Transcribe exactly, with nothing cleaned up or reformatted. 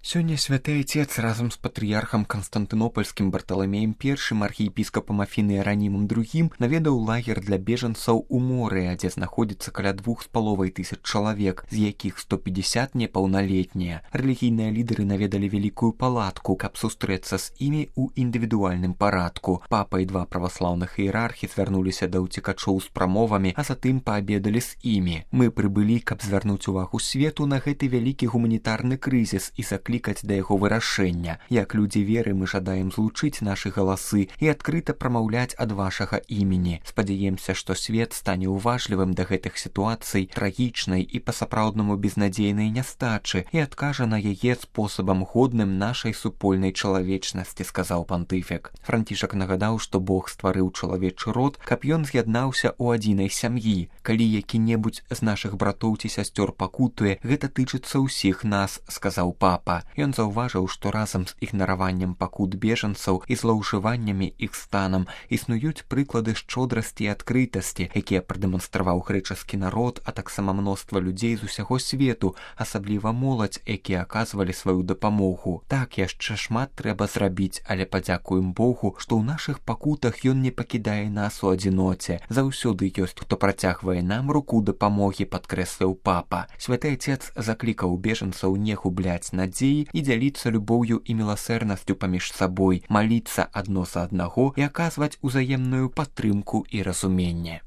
Сёння святы Отец разам з патрыярхам Канстантынопольскім Барталамеем першым, архіепіскапам Афіны Іеранімам другім наведаў лагер для бежанцаў у Морыя, дзе знаходзіцца каля двух з паловай тысяч чалавек, з якіх сто пятьдесят непаўналетнія. Рэлігійныя лідары наведалі вялікую палатку, каб сустрэцца з імі ў індывідуальным парадку. Папа і два праваслаўных іерархі звярнуліся да ўцекачоў з прамовамі, а затым паабедалі з імі. Мы прыбылі, каб звярнуць увагу свету на гэты вялікі гуманітарны крызіс і заклікаць клікаць да яго вырашэння. Як людзі веры мы жадаем злучыць нашы галасы і адкрыта прамаўляць ад вашага імені. Спадзяемся, што свет стане уважлівым да гэтых сітуацый, трагічнай і па-сапраўднаму безнадзейнай нястачы і адкажа на яе спосабам годным нашай супольнай чалавечнасці, сказаў пантыфік. Францішак нагадаў, што Бог стварыў чалавечы род, каб ён з'яднаўся ў адзінай сям'і. Калі які-небудзь з нашых братоў ці сясцёр пакутуе, гэта тычыцца ўсіх нас, сказаў папа. Ён заўважыў, што разам з ігнараваннем пакут бежанцаў і злоўжываннямі іх станам існуюць прыклады шчодрасці і адкрытасці, якія прадэманстраваў грэчаскі народ, а таксама мноства людзей з усяго свету, асабліва моладзь, якія аказвалі сваю дапамогу. Так, яшчэ шмат трэба зрабіць, але падзякуем Богу, што ў нашых пакутах ён не пакідае нас у адзіноце. Заўсёды ёсць, хто працягвае нам руку дапамогі, падкрэсліў папа. Святы Отец заклікаў бежанцаў не губляць надзеі і дзяліцца любоўю і міласэрнасцю паміж сабой, маліцца адно за аднаго і аказваць узаемную падтрымку і разуменне.